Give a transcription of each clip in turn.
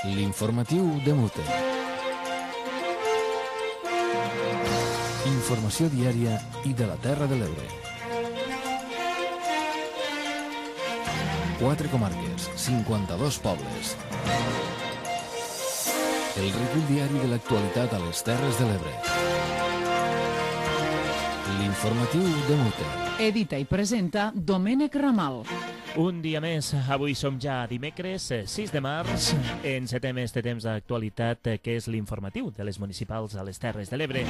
L'informatiu de Mute. Informació diària i de la Terra de l'Ebre. 4 comarques, 52 pobles. El recull diari de l'actualitat a les Terres de l'Ebre. L'informatiu de Mute. Edita i presenta Domènec Ramal. Un dia més, avui som ja dimecres 6 de març, encetem este temps d'actualitat que és l'informatiu de les municipals a les Terres de l'Ebre.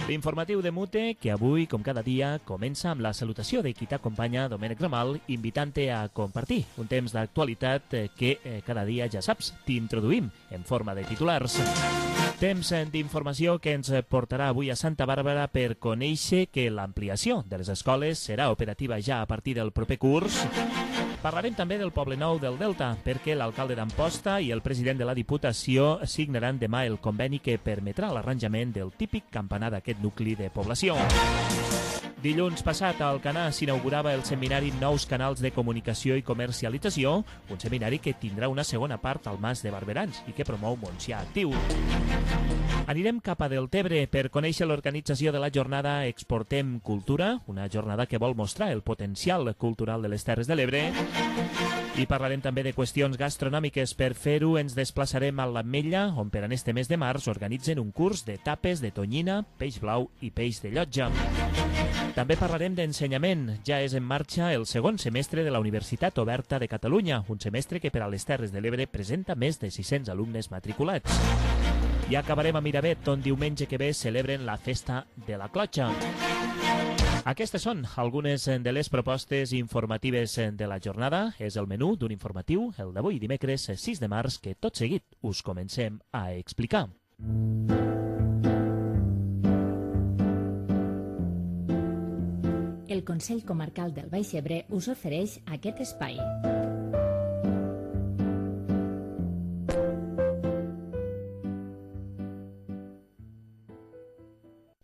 L'informatiu de Mute, que avui, com cada dia, comença amb la salutació de qui t'acompanya, Domènec Ramal, invitant-te a compartir un temps d'actualitat que cada dia, ja saps, t'introduïm en forma de titulars. Temps d'informació que ens portarà avui a Santa Bàrbara per conèixer que l'ampliació de les escoles serà operativa ja a partir del proper curs. Parlarem també del Poble Nou del Delta, perquè l'alcalde d'Amposta i el president de la Diputació signaran demà el conveni que permetrà l'arranjament del típic campanar d'aquest nucli de població. Dilluns passat a Alcanar s'inaugurava el seminari Nous canals de comunicació i comercialització, un seminari que tindrà una segona part al Mas de Barberans i que promou Montsià Actiu. Anirem cap a Deltebre per conèixer l'organització de la jornada Exportem Cultura, una jornada que vol mostrar el potencial cultural de les Terres de l'Ebre. I parlarem també de qüestions gastronòmiques. Per fer-ho ens desplaçarem a l'Ametlla, on per en este mes de març organitzen un curs de tapes de tonyina, peix blau i peix de llotja. També parlarem d'ensenyament. Ja és en marxa el segon semestre de la Universitat Oberta de Catalunya, un semestre que per a les Terres de l'Ebre presenta més de 600 alumnes matriculats. I acabarem a Miravet, on diumenge que ve celebren la Festa de la Clotxa. Aquestes són algunes de les propostes informatives de la jornada. És el menú d'un informatiu, el d'avui dimecres 6 de març, que tot seguit us comencem a explicar. El Consell Comarcal del Baix Ebre us ofereix aquest espai.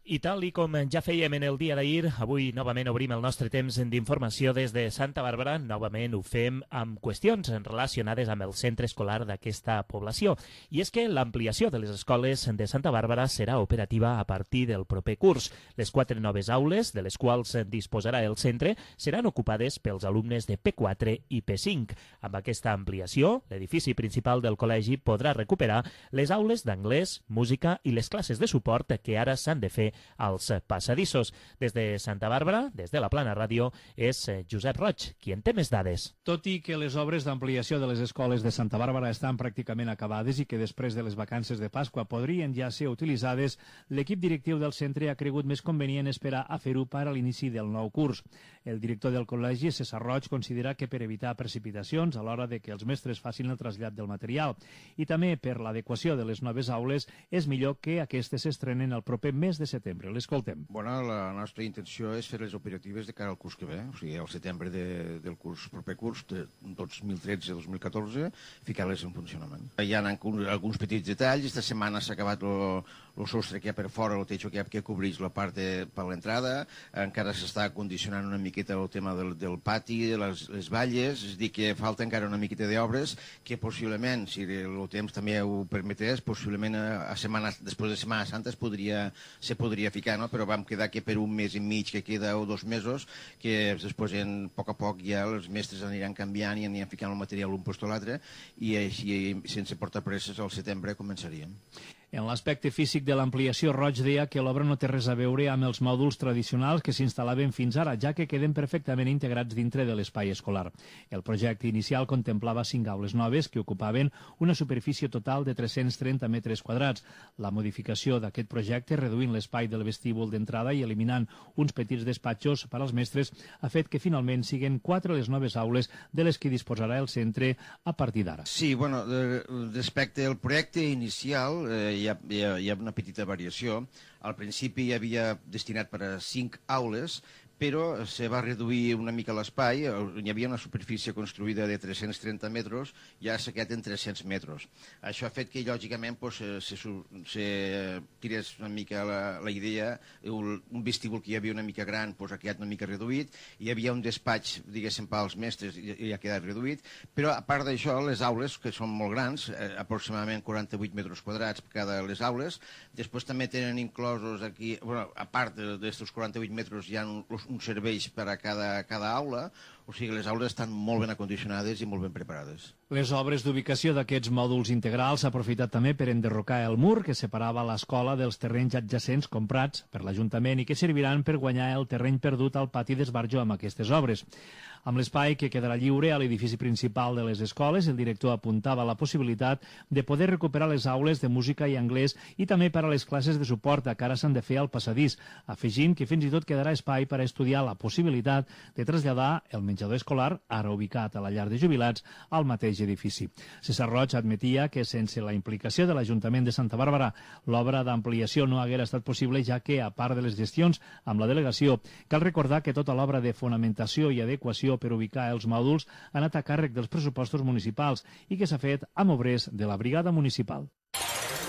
I tal i com ja fèiem en el dia d'ahir, avui novament obrim el nostre temps d'informació des de Santa Bàrbara. Novament ho fem amb qüestions relacionades amb el centre escolar d'aquesta població. I és que l'ampliació de les escoles de Santa Bàrbara serà operativa a partir del proper curs. Les 4 noves aules, de les quals disposarà el centre, seran ocupades pels alumnes de P4 i P5. Amb aquesta ampliació, l'edifici principal del col·legi podrà recuperar les aules d'anglès, música i les classes de suport que ara s'han de fer als passadissos. Des de Santa Bàrbara, des de la Plana Ràdio, és Josep Roig, qui en té més dades. Tot i que les obres d'ampliació de les escoles de Santa Bàrbara estan pràcticament acabades i que després de les vacances de Pasqua podrien ja ser utilitzades, l'equip directiu del centre ha cregut més convenient esperar a fer-ho per a l'inici del nou curs. El director del col·legi, César Roig, considera que per evitar precipitacions a l'hora de que els mestres facin el trasllat del material i també per l'adequació de les noves aules és millor que aquestes s'estrenen el proper mes de setembre. L'escoltem. Bueno, la nostra intenció és fer les operatives de cara al curs que ve, o sigui, al setembre del proper curs, de 2013-2014, ficar-les en funcionament. Hi ha alguns petits detalls. Esta setmana s'ha acabat el sostre que hi ha per fora, el techo que cobreix la part per l'entrada. Encara s'està condicionant una miqueta el tema del pati, de les valles, és a dir, que falta encara una miqueta d'obres que possiblement, si el temps també ho permetés, possiblement després de Setmana Santa se podria ficar, no? Però vam quedar que per un mes i mig que queda o 2 mesos, que després a poc ja els mestres aniran canviant i aniran ficant el material un post a l'altre i així sense portar presses al setembre començaríem. En l'aspecte físic de l'ampliació, Roig deia que l'obra no té res a veure amb els mòduls tradicionals que s'instal·laven fins ara, ja que queden perfectament integrats dintre de l'espai escolar. El projecte inicial contemplava 5 aules noves que ocupaven una superfície total de 330 metres quadrats. La modificació d'aquest projecte, reduint l'espai del vestíbul d'entrada i eliminant uns petits despatxos per als mestres, ha fet que finalment siguin 4 les noves aules de les que disposarà el centre a partir d'ara. Sí, bueno, respecte al projecte inicial, hi ha una petita variació. Al principi hi havia destinat per a 5 aules, però se va reduir una mica l'espai, hi havia una superfície construïda de 330 metres, ja s'ha quedat en 300 metres. Això ha fet que, lògicament, se tirés una mica la idea, un vestíbul que hi havia una mica gran ha quedat una mica reduït, hi havia un despatx, diguéssim, pels mestres i ha quedat reduït, però a part d'això, les aules, que són molt grans, aproximadament 48 metres quadrats per cada les aules, després també tenen inclosos aquí, a part d'aquests 48 metres hi ha uns serveis per a cada aula, o sigui, les aules estan molt ben acondicionades i molt ben preparades. Les obres d'ubicació d'aquests mòduls integrals s'ha aprofitat també per enderrocar el mur que separava l'escola dels terrenys adjacents comprats per l'Ajuntament i que serviran per guanyar el terreny perdut al pati d'esbarjo amb aquestes obres. Amb l'espai que quedarà lliure a l'edifici principal de les escoles, el director apuntava la possibilitat de poder recuperar les aules de música i anglès i també per a les classes de suport que ara s'han de fer al passadís, afegint que fins i tot quedarà espai per a estudiar la possibilitat de traslladar el menjador escolar, ara ubicat a la llar de jubilats, al mateix edifici. César Roig admetia que sense la implicació de l'Ajuntament de Santa Bàrbara l'obra d'ampliació no haguera estat possible, ja que, a part de les gestions amb la delegació, cal recordar que tota l'obra de fonamentació i adequació per ubicar els mòduls ha anat a càrrec dels pressupostos municipals i que s'ha fet amb obrers de la brigada municipal.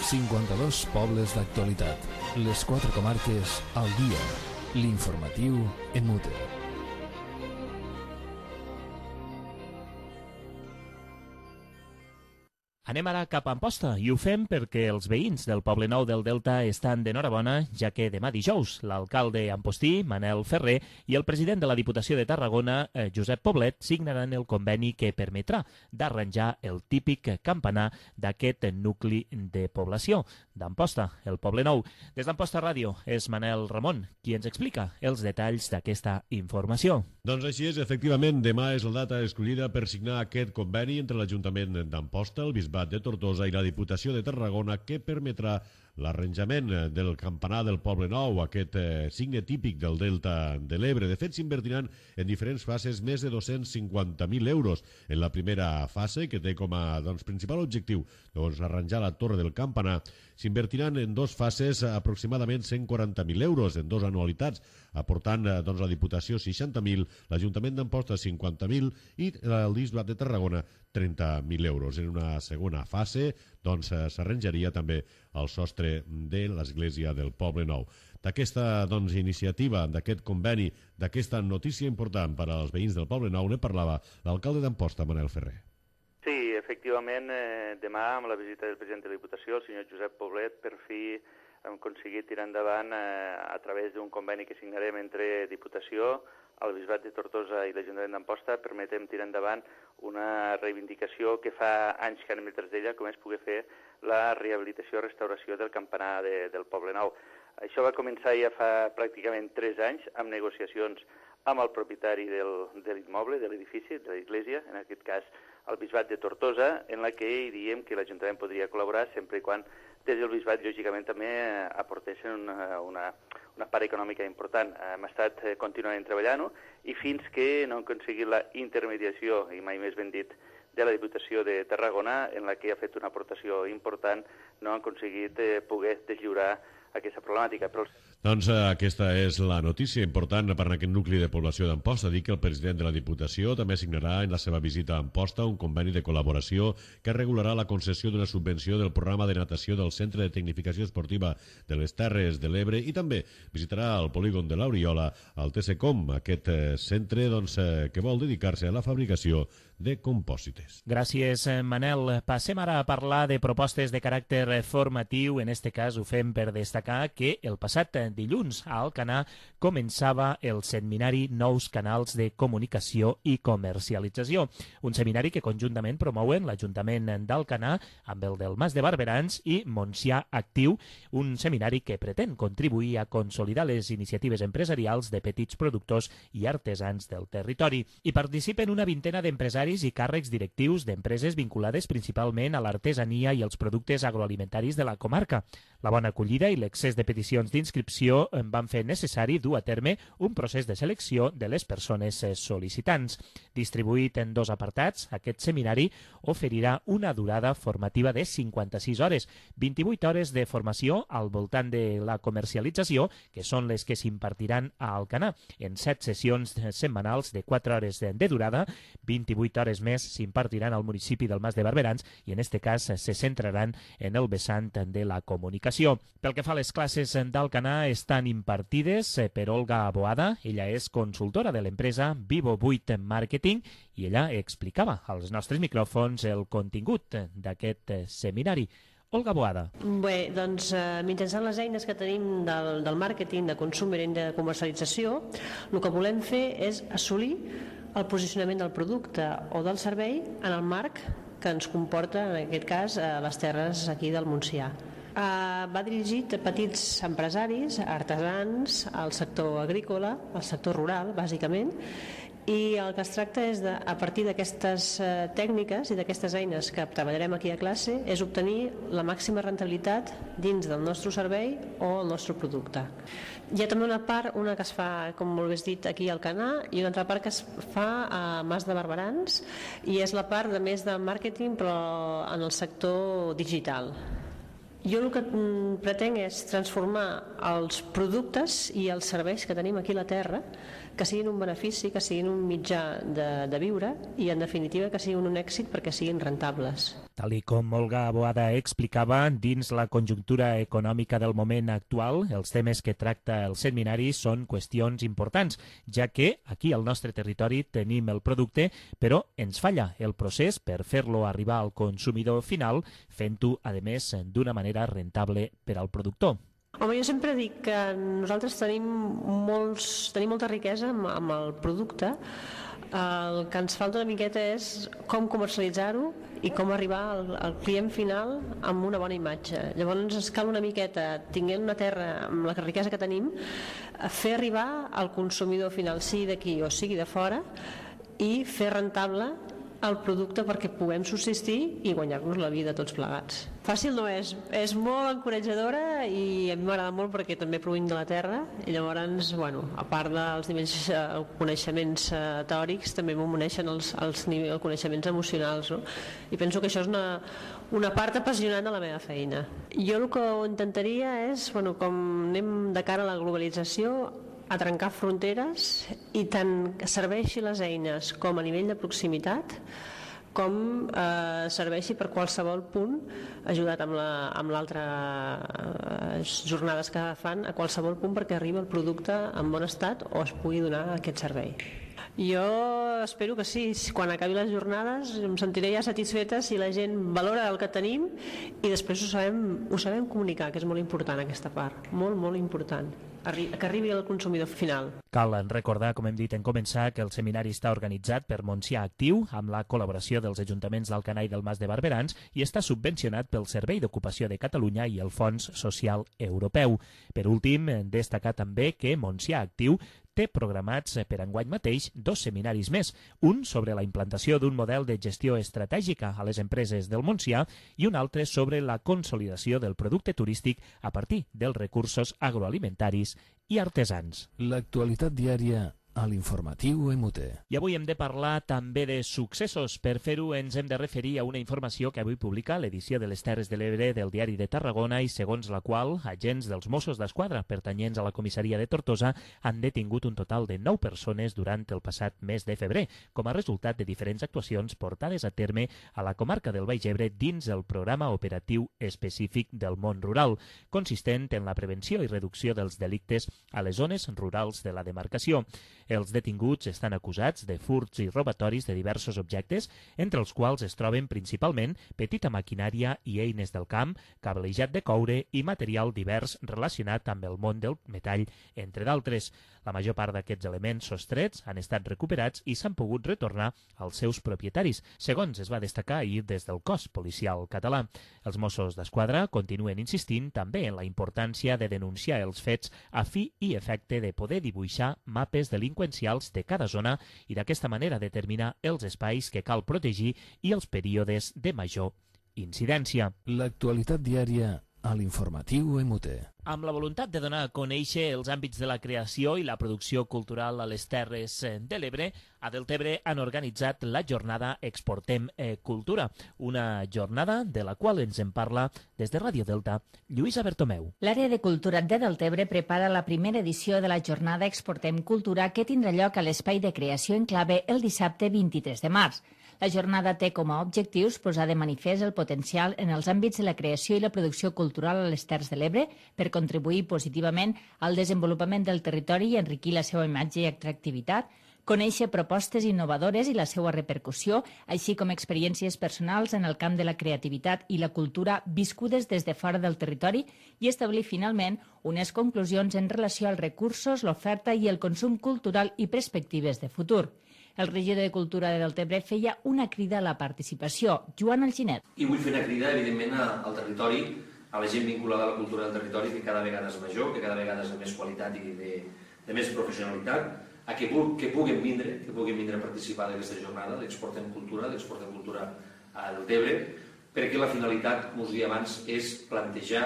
52 pobles d'actualitat. Les 4 comarques al dia. L'informatiu en Mute. Anem ara cap a Amposta i ho fem perquè els veïns del Poble Nou del Delta estan d'enhorabona, ja que demà dijous l'alcalde ampostí, Manel Ferrer, i el president de la Diputació de Tarragona, Josep Poblet, signaran el conveni que permetrà d'arranjar el típic campanar d'aquest nucli de població d'Amposta, el Poble Nou. Des d'Amposta Ràdio és Manel Ramon qui ens explica els detalls d'aquesta informació. Doncs així és, efectivament, demà és la data escollida per signar aquest conveni entre l'Ajuntament d'Amposta, el Bisbat de Tortosa i la Diputació de Tarragona que permetrà l'arranjament del campanar del Poble Nou, aquest signe típic del Delta de l'Ebre. De fet, s'invertiran en diferents fases més de 250.000 euros. En la primera fase, que té com a principal objectiu arranjar la torre del campanar, s'invertiran en 2 fases aproximadament 140.000 euros en 2 anualitats, aportant la Diputació 60.000, l'Ajuntament d'Amposta 50.000 i el Bisbat de Tarragona 30.000 euros. En una segona fase s'arranjaria també el sostre de l'església del Poble Nou. D'aquesta iniciativa, d'aquest conveni, d'aquesta notícia important per als veïns del Poble Nou, ne parlava l'alcalde d'Amposta, Manel Ferrer. Sí, efectivament, demà amb la visita del president de la Diputació, el senyor Josep Poblet, per fi hem aconseguit tirar endavant a través d'un conveni que signarem entre Diputació, el Bisbat de Tortosa i l'Ajuntament d'Amposta, permetem tirar endavant una reivindicació que fa anys que anem detrás d'ella, com és poder fer la rehabilitació i restauració del campanar del Poble Nou. Això va començar ja fa pràcticament 3 anys amb negociacions amb el propietari de l'immoble, de l'edifici, de l'església, en aquest cas el Bisbat de Tortosa, en la que diem que l'Ajuntament podria col·laborar sempre i quan des del Bisbat, lògicament, també aportessin una part econòmica important. Hem estat continuament treballant-ho i fins que no hem aconseguit la intermediació, i mai més ben dit, de la Diputació de Tarragona, en la que ha fet una aportació important, no hem aconseguit poder deslliurar aquesta problemàtica. Doncs aquesta és la notícia important per a aquest nucli de població d'Amposta. Dic que el president de la Diputació també signarà en la seva visita a Amposta un conveni de col·laboració que regularà la concessió d'una subvenció del programa de natació del Centre de Tecnificació Esportiva de les Terres de l'Ebre i també visitarà el polígon de l'Oriola, el TCCOM, aquest centre que vol dedicar-se a la fabricació de compòsites. Gràcies, Manel. Passem ara a parlar de propostes de caràcter formatiu. En este cas ho fem per destacar que el passat dilluns a Alcanar començava el seminari Nous canals de comunicació i comercialització. Un seminari que conjuntament promouen l'Ajuntament d'Alcanar amb el del Mas de Barberans i Montsià Actiu, un seminari que pretén contribuir a consolidar les iniciatives empresarials de petits productors i artesans del territori. Hi participen una vintena d'empresaris funcionaris i càrrecs directius d'empreses vinculades principalment a l'artesania i els productes agroalimentaris de la comarca. La bona acollida i l'excés de peticions d'inscripció van fer necessari dur a terme un procés de selecció de les persones sol·licitants. Distribuït en 2 apartats, aquest seminari oferirà una durada formativa de 56 hores, 28 hores de formació al voltant de la comercialització, que són les que s'impartiran a Alcanar, en 7 sessions setmanals de 4 hores de durada, 28 hores més s'impartiran al municipi del Mas de Barberans i en este cas se centraran en el vessant de la comunicació. Pel que fa a les classes d'Alcanar, estan impartides per Olga Boada. Ella és consultora de l'empresa Vivo 8 Marketing i ella explicava als nostres micròfons el contingut d'aquest seminari. Olga Boada. Bé, doncs mitjançant les eines que tenim del màrqueting, de consum i de comercialització, el que volem fer és assolir el posicionament del producte o del servei en el marc que ens comporta, en aquest cas, les terres aquí del Montsià. Va dirigit a petits empresaris, artesans, al sector agrícola, al sector rural, bàsicament, i el que es tracta és, a partir d'aquestes tècniques i d'aquestes eines que treballarem aquí a classe, és obtenir la màxima rentabilitat dins del nostre servei o el nostre producte. Hi ha també una part, una que es fa, com molt bé has dit, aquí al Alcanar, i una altra part que es fa a Mas de Barberans, i és la part de més de màrqueting, però en el sector digital. Jo el que pretenc és transformar els productes i els serveis que tenim aquí a la terra, que siguin un benefici, que siguin un mitjà de viure i, en definitiva, que siguin un èxit perquè siguin rentables. Tal i com Olga Boada explicava, dins la conjuntura econòmica del moment actual, els temes que tracta el seminari són qüestions importants, ja que aquí al nostre territori tenim el producte, però ens falla el procés per fer-lo arribar al consumidor final, fent-ho, a més, d'una manera rentable per al productor. Home, jo sempre dic que nosaltres tenim molta riquesa amb el producte. El que ens falta una miqueta és com comercialitzar-ho i com arribar al client final amb una bona imatge. Llavors ens cal una miqueta, tinguent una terra amb la riquesa que tenim, fer arribar al consumidor final, sigui d'aquí o sigui de fora, i fer rentable el producte perquè puguem subsistir i guanyar-nos la vida tots plegats. Fàcil no és molt encoratjadora i a mi m'agrada molt perquè també provinc de la terra i llavors, a part dels nivells coneixements teòrics, també m'uneixen els coneixements emocionals, no? I penso que això és una part apassionant de la meva feina. Jo el que intentaria és, com anem de cara a la globalització, a trencar fronteres i tant serveixi les eines com a nivell de proximitat com serveixi per qualsevol punt, ajudat amb l'altres jornades que fan, a qualsevol punt perquè arribi el producte en bon estat o es pugui donar aquest servei. Jo espero que sí, quan acabi les jornades em sentiré ja satisfeta si la gent valora el que tenim i després ho sabem comunicar, que és molt important aquesta part, molt, molt important, que arribi al consumidor final. Cal recordar, com hem dit en començar, que el seminari està organitzat per Montsià Actiu amb la col·laboració dels ajuntaments d'Alcanar i del Mas de Barberans i està subvencionat pel Servei d'Ocupació de Catalunya i el Fons Social Europeu. Per últim, destacar també que Montsià Actiu té programats per enguany mateix 2 seminaris més, un sobre la implantació d'un model de gestió estratègica a les empreses del Montsià i un altre sobre la consolidació del producte turístic a partir dels recursos agroalimentaris i artesans. L'actualitat diària a l'informatiu MUT. I avui hem de parlar també de successos. Per fer-ho ens hem de referir a una informació que avui publica l'edició de les Terres de l'Ebre del Diari de Tarragona i segons la qual agents dels Mossos d'Esquadra pertanyents a la comissaria de Tortosa han detingut un total de 9 persones durant el passat mes de febrer, com a resultat de diferents actuacions portades a terme a la comarca del Baix Ebre dins el programa operatiu específic del món rural, consistent en la prevenció i reducció dels delictes a les zones rurals de la demarcació. Els detinguts estan acusats de furts i robatoris de diversos objectes, entre els quals es troben principalment petita maquinària i eines del camp, cablejat de coure i material divers relacionat amb el món del metall, entre d'altres. La major part d'aquests elements sostrets han estat recuperats i s'han pogut retornar als seus propietaris, segons es va destacar ahir des del cos policial català. Els Mossos d'Esquadra continuen insistint també en la importància de denunciar els fets a fi i efecte de poder dibuixar mapes delinqüencials delinqüencials de cada zona i d'aquesta manera determinar els espais que cal protegir i els períodes de major incidència. L'actualitat diària a l'informatiu EMUTE. Amb la voluntat de donar a conèixer els àmbits de la creació i la producció cultural a les Terres de l'Ebre, a Deltebre han organitzat la jornada Exportem Cultura, una jornada de la qual ens en parla des de Ràdio Delta, Lluïsa Bertomeu. L'àrea de cultura de Deltebre prepara la primera edició de la jornada Exportem Cultura que tindrà lloc a l'Espai de Creació en Clave el dissabte 23 de març. La jornada té com a objectius posar de manifest el potencial en els àmbits de la creació i la producció cultural a les Terres de l'Ebre per contribuir positivament al desenvolupament del territori i enriquir la seva imatge i atractivitat, conèixer propostes innovadores i la seva repercussió, així com experiències personals en el camp de la creativitat i la cultura viscudes des de fora del territori i establir finalment unes conclusions en relació als recursos, l'oferta i el consum cultural i perspectives de futur. El regidor de Cultura de Deltebre feia una crida a la participació, Joan Alginet. I vull fer una crida, evidentment, al territori, a la gent vinculada a la cultura del territori, que cada vegada és major, que cada vegada és de més qualitat i de més professionalitat, a que puguen vindre a participar d'aquesta jornada, l'Exportem Cultura a Deltebre, perquè la finalitat, com us deia abans, és plantejar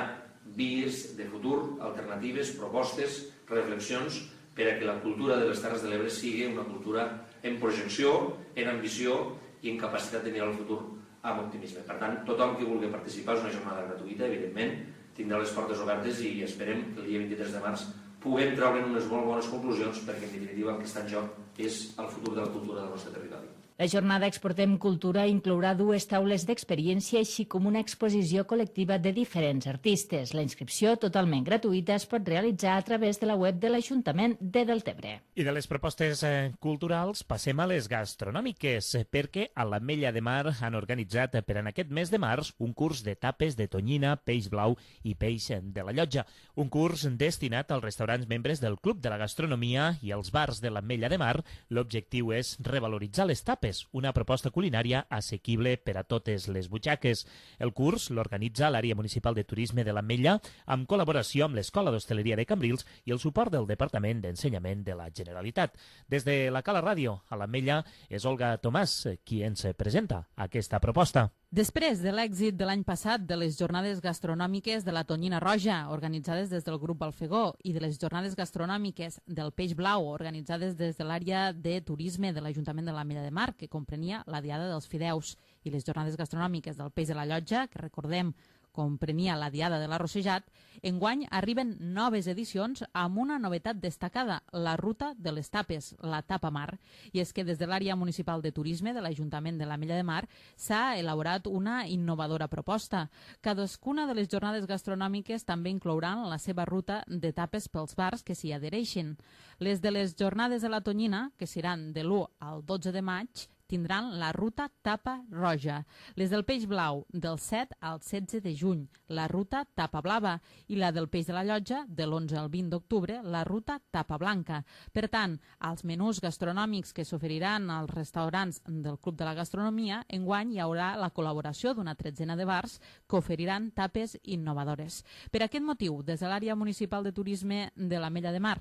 vies de futur, alternatives, propostes, reflexions, per a que la cultura de les Terres de l'Ebre sigui una cultura en projecció, en ambició i en capacitat de mirar el futur amb optimisme. Per tant, tothom que vulgui participar és una jornada gratuïta, evidentment, tindrà les portes obertes i esperem que el dia 23 de març puguem treure'n unes molt bones conclusions perquè, en definitiva, el que està en joc és el futur de la cultura del nostre territori. La jornada Exportem Cultura inclourà 2 taules d'experiència així com una exposició col·lectiva de diferents artistes. La inscripció, totalment gratuïta, es pot realitzar a través de la web de l'Ajuntament de Deltebre. I de les propostes culturals passem a les gastronòmiques, perquè a l'Ametlla de Mar han organitzat per en aquest mes de març un curs de tapes de tonyina, peix blau i peix de la Llotja. Un curs destinat als restaurants membres del Club de la Gastronomia i als bars de l'Ametlla de Mar. L'objectiu és revaloritzar les tapes, una proposta culinària assequible per a totes les butxaques. El curs l'organitza l'Àrea Municipal de Turisme de l'Ametlla amb col·laboració amb l'Escola d'Hostaleria de Cambrils i el suport del Departament d'Ensenyament de la Generalitat. Des de la Cala Ràdio a l'Ametlla és Olga Tomàs qui ens presenta aquesta proposta. Després de l'èxit de l'any passat de les jornades gastronòmiques de la Tonyina Roja, organitzades des del grup Balfegó, i de les jornades gastronòmiques del Peix Blau, organitzades des de l'àrea de turisme de l'Ajuntament de l'Ametlla de Mar, que comprenia la Diada dels Fideus, i les jornades gastronòmiques del Peix de la Llotja, que recordem comprenia la Diada de l'Arrossejat, enguany arriben noves edicions amb una novetat destacada, la Ruta de les Tapes, la Tapa Mar. I és que des de l'àrea municipal de turisme de l'Ajuntament de l'Ametlla de Mar s'ha elaborat una innovadora proposta. Cadascuna de les jornades gastronòmiques també inclouran la seva ruta de tapes pels bars que s'hi adhereixin. Les de les jornades de la Tonyina, que seran de l'1 al 12 de maig, tindran la ruta Tapa Roja, les del Peix Blau del 7 al 16 de juny, la ruta Tapa Blava, i la del Peix de la Llotja de l'11 al 20 d'octubre, la ruta Tapa Blanca. Per tant, als menús gastronòmics que s'oferiran als restaurants del Club de la Gastronomia, enguany hi haurà la col·laboració d'una tretzena de bars que oferiran tapes innovadores. Per aquest motiu, des de l'àrea municipal de turisme de l'Ametlla de Mar,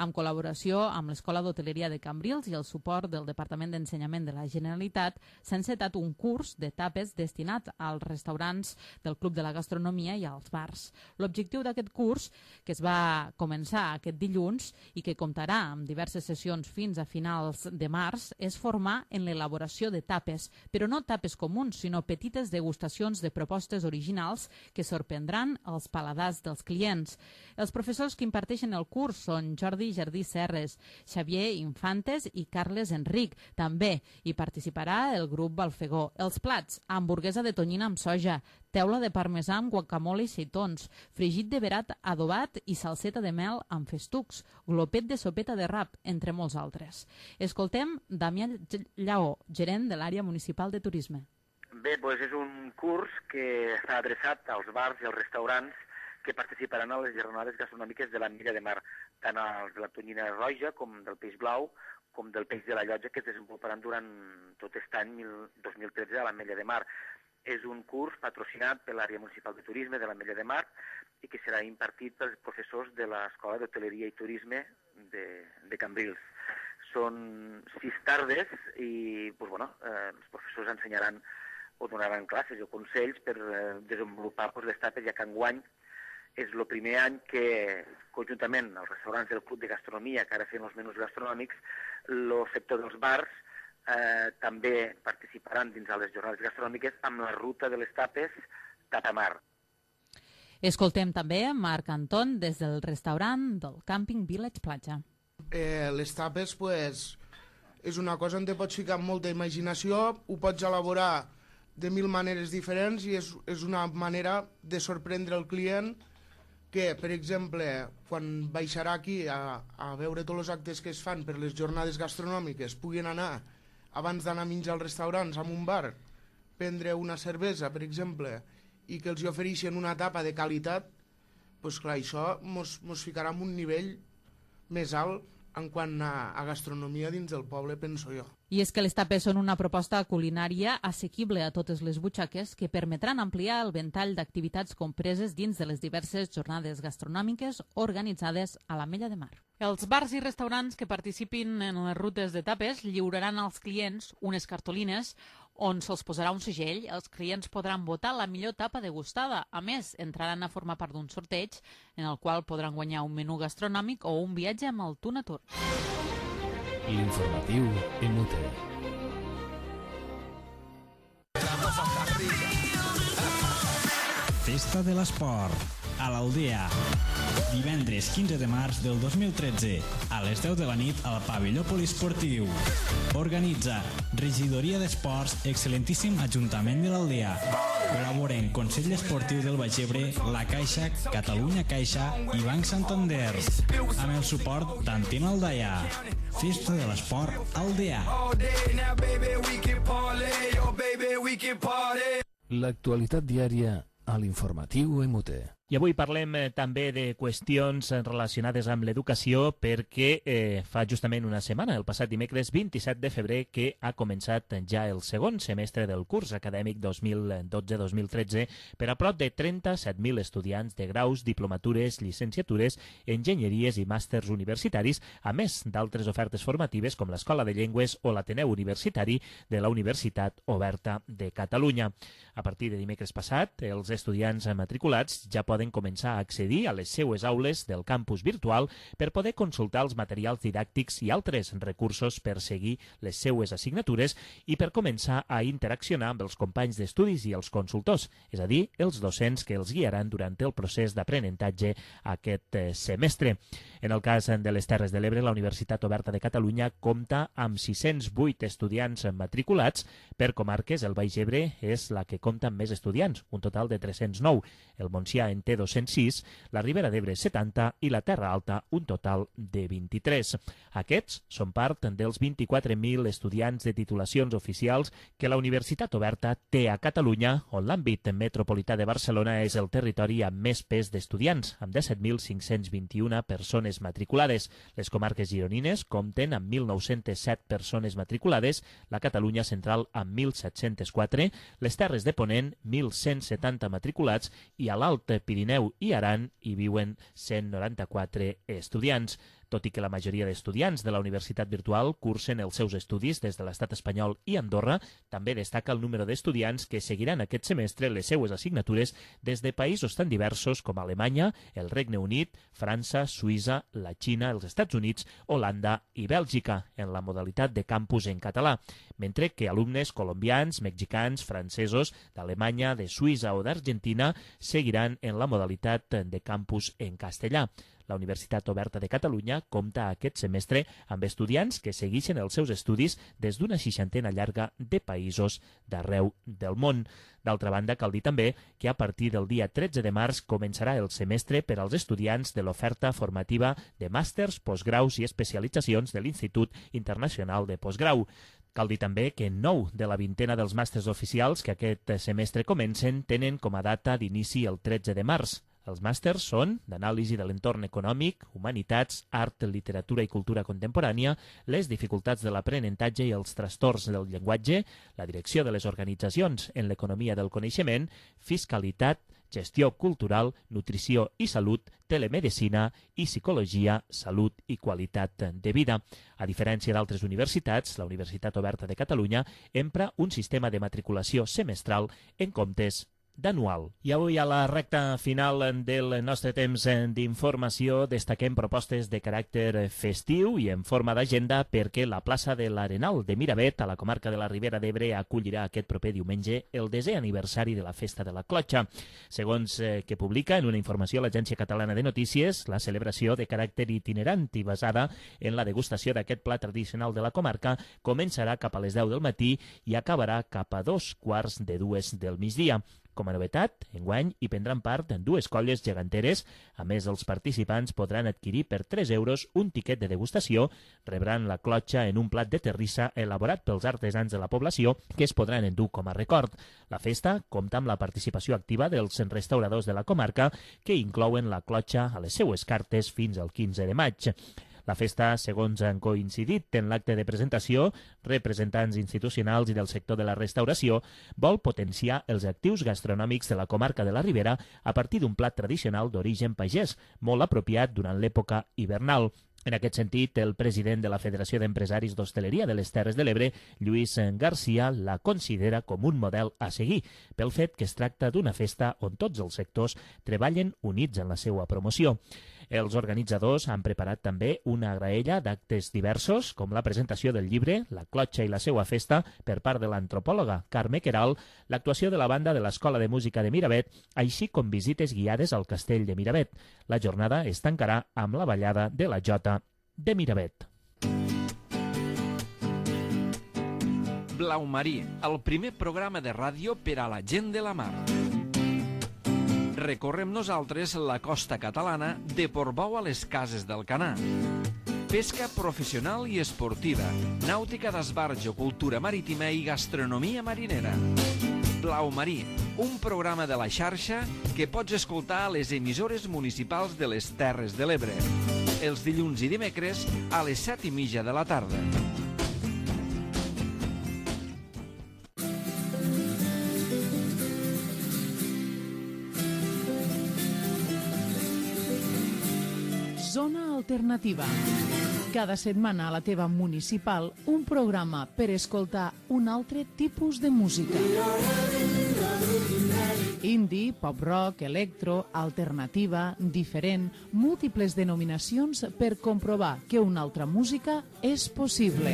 en col·laboració amb l'Escola d'Hoteleria de Cambrils i el suport del Departament d'Ensenyament de la Generalitat, s'ha encetat un curs de tapes destinat als restaurants del Club de la Gastronomia i als bars. L'objectiu d'aquest curs, que es va començar aquest dilluns i que comptarà amb diverses sessions fins a finals de març, és formar en l'elaboració de tapes, però no tapes comuns, sinó petites degustacions de propostes originals que sorprendran els paladars dels clients. Els professors que imparteixen el curs són Jordi Jardí Serres, Xavier Infantes i Carles Enric. També hi participarà el grup Balfegó. Els plats: hamburguesa de tonyina amb soja, teula de parmesà amb guacamole i seitons, fregit de verat adobat i salseta de mel amb festucs, glopet de sopeta de rap, entre molts altres. Escoltem Damià Lleó, gerent de l'àrea municipal de turisme. Bé, doncs és un curs que està adreçat als bars i als restaurants que participaran a les jornades gastronòmiques de l'Ametlla de Mar, tant els de la Tonyina Roja com del Peix Blau, com del Peix de la Llotja, que es desenvoluparan durant tot aquest any 2013 a l'Ametlla de Mar. És un curs patrocinat per l'àrea municipal de turisme de l'Ametlla de Mar i que serà impartit pels professors de l'Escola d'Hoteleria i Turisme de Cambrils. Són 6 tardes i els professors ensenyaran o donaran classes o consells per desenvolupar les tapes, ja que enguany és el primer any que, conjuntament als restaurants del Club de Gastronomia, que ara fem els menús gastronòmics, el sector dels bars també participaran dins de les jornades gastronòmiques amb la ruta de les tapes Tapamar. Escoltem també Marc Anton des del restaurant del Camping Village Platja. Les tapes és una cosa on te pots ficar amb molta imaginació, ho pots elaborar de 1000 maneres diferents i és una manera de sorprendre el client que, per exemple, quan baixarà aquí a veure tots els actes que es fan per les jornades gastronòmiques, puguin anar, abans d'anar a menjar als restaurants, a un bar, prendre una cervesa, per exemple, i que els ofereixen una tapa de qualitat, doncs clar, això mos ficarà en un nivell més alt en quant a gastronomia dins del poble, penso jo. I és que les tapes són una proposta culinària assequible a totes les butxaques que permetran ampliar el ventall d'activitats compreses dins de les diverses jornades gastronòmiques organitzades a l'Ametlla de Mar. Els bars i restaurants que participin en les rutes de tapes lliuraran als clients unes cartolines on se'ls posarà un segell. Els clients podran votar la millor tapa degustada. A més, entraran a formar part d'un sorteig en el qual podran guanyar un menú gastronòmic o un viatge amb el Tuna Tour. L'informatiu en Mute. Festa de l'Esport, a l'Aldea. Divendres 15 de març del 2013, a les 10 de la nit al pavelló poliesportiu. Organitza Regidoria d'Esports, excel·lentíssim Ajuntament de l'Aldea. Col·laboren Consell Esportiu del Baix Ebre, La Caixa, Catalunya Caixa i Banc Santander. Amb el suport d'Antim Aldaia. Festa de l'Esport Aldea. L'actualitat diària a l'informatiu en Mute. I avui parlem també de qüestions relacionades amb l'educació perquè fa justament una setmana, el passat dimecres 27 de febrer, que ha començat ja el segon semestre del curs acadèmic 2012-2013 per a prop de 37.000 estudiants de graus, diplomatures, llicenciatures, enginyeries i màsters universitaris, a més d'altres ofertes formatives com l'Escola de Llengües o l'Ateneu Universitari de la Universitat Oberta de Catalunya. A partir de dimecres passat, els estudiants matriculats ja poden començar a accedir a les seues aules del campus virtual per poder consultar els materials didàctics i altres recursos per seguir les seues assignatures i per començar a interaccionar amb els companys d'estudis i els consultors, és a dir, els docents que els guiaran durant el procés d'aprenentatge aquest semestre. En el cas de les Terres de l'Ebre, la Universitat Oberta de Catalunya compta amb 608 estudiants matriculats. Per comarques, el Baix Ebre és la que compta amb més estudiants, un total de 309. El Montsià en té 206, la Ribera d'Ebre 70 i la Terra Alta un total de 23. Aquests són part dels 24.000 estudiants de titulacions oficials que la Universitat Oberta té a Catalunya, on l'àmbit metropolità de Barcelona és el territori amb més pes d'estudiants, amb 17.521 persones matriculades. Les comarques gironines compten amb 1.907 persones matriculades, la Catalunya central amb 1.704, les Terres de Ponent 1.170 matriculats i a l'Alt Pirineu i Aran hi viuen 194 estudiants. Tot i que la majoria d'estudiants de la Universitat Virtual cursen els seus estudis des de l'Estat espanyol i Andorra, també destaca el número d'estudiants que seguiran aquest semestre les seues assignatures des de països tan diversos com Alemanya, el Regne Unit, França, Suïssa, la Xina, els Estats Units, Holanda i Bèlgica, en la modalitat de campus en català, mentre que alumnes colombians, mexicans, francesos, d'Alemanya, de Suïssa o d'Argentina seguiran en la modalitat de campus en castellà. La Universitat Oberta de Catalunya compta aquest semestre amb estudiants que segueixen els seus estudis des d'una 60ena llarga de països d'arreu del món. D'altra banda, cal dir també que a partir del dia 13 de març començarà el semestre per als estudiants de l'oferta formativa de màsters, postgraus i especialitzacions de l'Institut Internacional de Postgrau. Cal dir també que 9 de la vintena dels màsters oficials que aquest semestre comencen tenen com a data d'inici el 13 de març. Els màsters són d'anàlisi de l'entorn econòmic, humanitats, art, literatura i cultura contemporània, les dificultats de l'aprenentatge i els trastorns del llenguatge, la direcció de les organitzacions en l'economia del coneixement, fiscalitat, gestió cultural, nutrició i salut, telemedicina i psicologia, salut i qualitat de vida. A diferència d'altres universitats, la Universitat Oberta de Catalunya empra un sistema de matriculació semestral en comptes d'anual. I avui, a la recta final del nostre temps d'informació, destaquem propostes de caràcter festiu i en forma d'agenda perquè la plaça de l'Arenal de Miravet, a la comarca de la Ribera d'Ebre, acollirà aquest proper diumenge el 10è aniversari de la Festa de la Clotxa. Segons que publica en una informació l'Agència Catalana de Notícies, la celebració de caràcter itinerant i basada en la degustació d'aquest plat tradicional de la comarca començarà cap a les 10 del matí i acabarà cap a 2:45 del migdia. Com a novetat, enguany hi prendran part en 2 colles geganteres. A més, els participants podran adquirir per 3 euros un tiquet de degustació, rebran la clotxa en un plat de terrissa elaborat pels artesans de la població que es podran endur com a record. La festa compta amb la participació activa dels restauradors de la comarca que inclouen la clotxa a les seues cartes fins al 15 de maig. La festa, segons han coincidit en l'acte de presentació, representants institucionals i del sector de la restauració, vol potenciar els actius gastronòmics de la comarca de la Ribera a partir d'un plat tradicional d'origen pagès, molt apropiat durant l'època hivernal. En aquest sentit, el president de la Federació d'Empresaris d'Hostaleria de les Terres de l'Ebre, Lluís Garcia, la considera com un model a seguir, pel fet que es tracta d'una festa on tots els sectors treballen units en la seva promoció. Els organitzadors han preparat també una graella d'actes diversos, com la presentació del llibre La Clotxa i la seua festa per part de l'antropòloga Carme Queralt, l'actuació de la banda de l'Escola de Música de Miravet, així com visites guiades al castell de Miravet. La jornada es tancarà amb la ballada de la Jota de Miravet. Blau Marí, el primer programa de ràdio per a la gent de la mar. Recorrem nosaltres la costa catalana de Portbou a les Cases del Canà. Pesca professional i esportiva, nàutica d'esbarjo, cultura marítima i gastronomia marinera. Blau Marí, un programa de la xarxa que pots escoltar a les emissores municipals de les Terres de l'Ebre. Els dilluns i dimecres a les 7:30 de la tarda. Zona Alternativa. Cada setmana a la teva municipal, un programa per escoltar un altre tipus de música. Indie, pop-rock, electro, alternativa, diferent, múltiples denominacions per comprovar que una altra música és possible.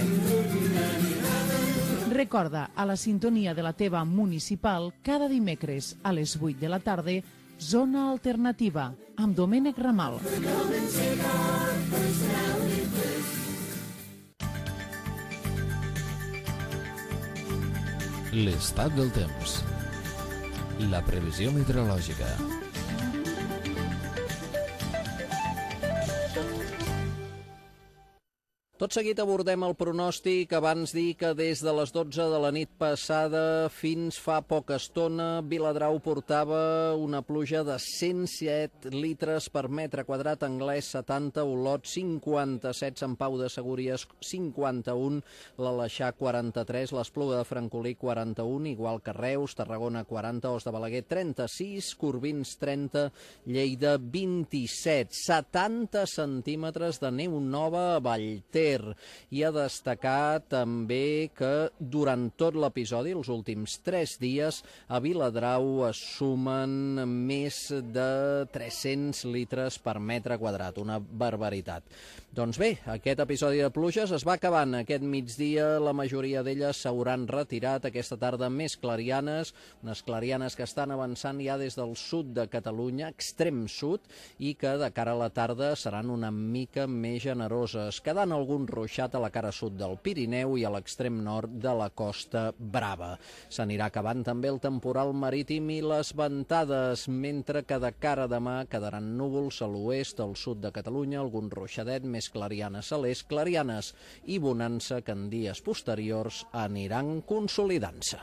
Recorda, a la sintonia de la teva municipal, cada dimecres a les 8 de la tarda, Zona Alternativa, amb Domènec Ramal. L'estat del temps. La previsió meteorològica. Tot seguit abordem el pronòstic, abans dir que des de les 12 de la nit passada fins fa poca estona Viladrau portava una pluja de 107 litres per metre quadrat, Anglès 70, Olot 57, Sant Pau de Segúries 51, l'Aleixar 43, l'Espluga de Francolí 41, igual que Reus, Tarragona 40, Os de Balaguer 36, Corbins 30, Lleida 27, 70 centímetres de neu nova a Vallter. I a destacar també que durant tot l'episodi, els últims 3 dies, a Viladrau es sumen més de 300 litres per metre quadrat, una barbaritat. Doncs bé, aquest episodi de pluges es va acabant. Aquest migdia la majoria d'elles s'hauran retirat, aquesta tarda més clarianes, unes clarianes que estan avançant ja des del sud de Catalunya, extrem sud, i que de cara a la tarda seran una mica més generoses, quedant algun ruixat a la cara sud del Pirineu i a l'extrem nord de la Costa Brava. S'anirà acabant també el temporal marítim i les ventades, mentre que de cara a demà quedaran núvols a l'oest, al sud de Catalunya, algun ruixadet, més clarianes a l'est, clarianes i bonança que en dies posteriors aniran consolidant-se.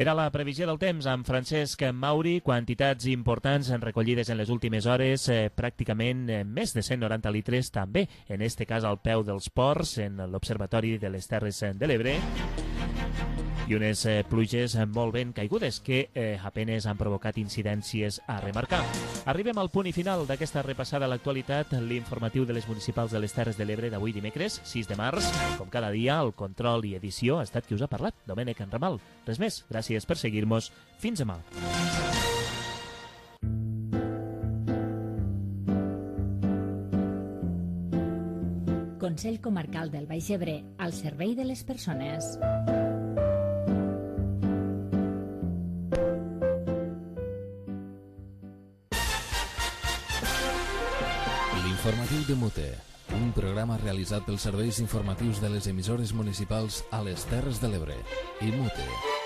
Era la previsió del temps amb Francesc Mauri, quantitats importants recollides en les últimes hores, pràcticament més de 190 litres també, en este cas al peu dels ports, en l'Observatori de les Terres de l'Ebre. i unes pluges molt ben caigudes que apenes han provocat incidències a remarcar. Arribem al punt i final d'aquesta repassada a l'actualitat, l'informatiu de les municipals de les Terres de l'Ebre d'avui dimecres, 6 de març. Com cada dia, el control i edició ha estat qui us ha parlat, Domènec Enramal. Res més, gràcies per seguir-nos. Fins demà. Consell Comarcal del Baix Ebre, al servei de les persones. L'informatiu de Mute, un programa realitzat pels serveis informatius de les emissores municipals a les Terres de l'Ebre i Mute.